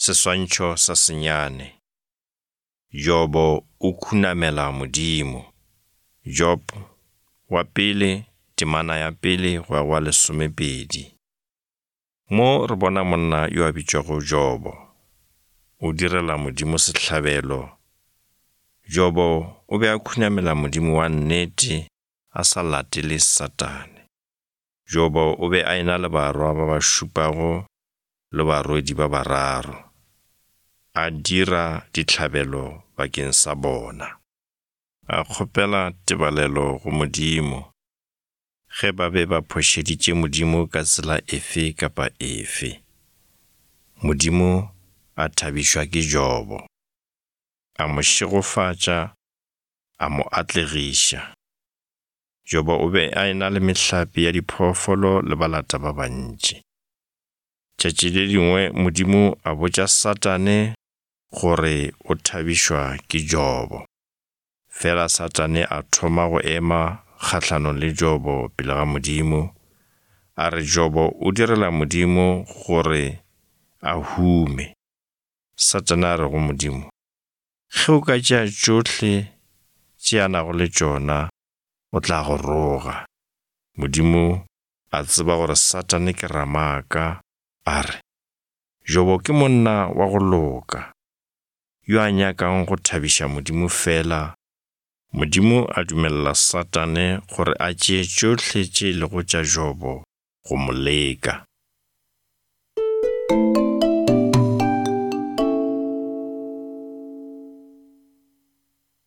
Seswantšho sa senyane. Jobo o khunamela Modimo. Job wa pele, temana ya pele go ya go wa lesomepedi. Mo re bona monna yo a bitšwago Jobo. O direla Modimo sehlabelo. Jobo o be a khunamela Modimo wa nnete a sa latele Satane. Jobo o be a e-na le barwa ba ba šupago le barwedi ba bararo, a dira dihlabelo bakeng sa bona. A kgopela tebalelo go Modimo ge ba be ba phošeditše Modimo ka tsela efe kapa efe. Modimo a thabišwa ke Jobo, a mo šegofatša, a mo atlegiša. Jobo o be a e-na le mehlape ya diphoofolo le balata ba bantši. Tšatši le lengwe Modimo a botša Satane gore o thabišwa ke Jobo. Fela Satane a thoma go ema kgahlanong le Jobo pele ga Modimo, a re Jobo o direla Modimo gore a hume. Satane a re go Modimo, Ge o ka tšea tšohle tše a nago le tšona, o tla go roga. Modimo a tseba gore Satane ke ramaaka, a re, Jobo ke monna wa go loka, yo a nyakang go thabiša Modimo feela. Modimo a dumelela Satane gore a tšee tšohle tše e lego tša Jobo go mo leka.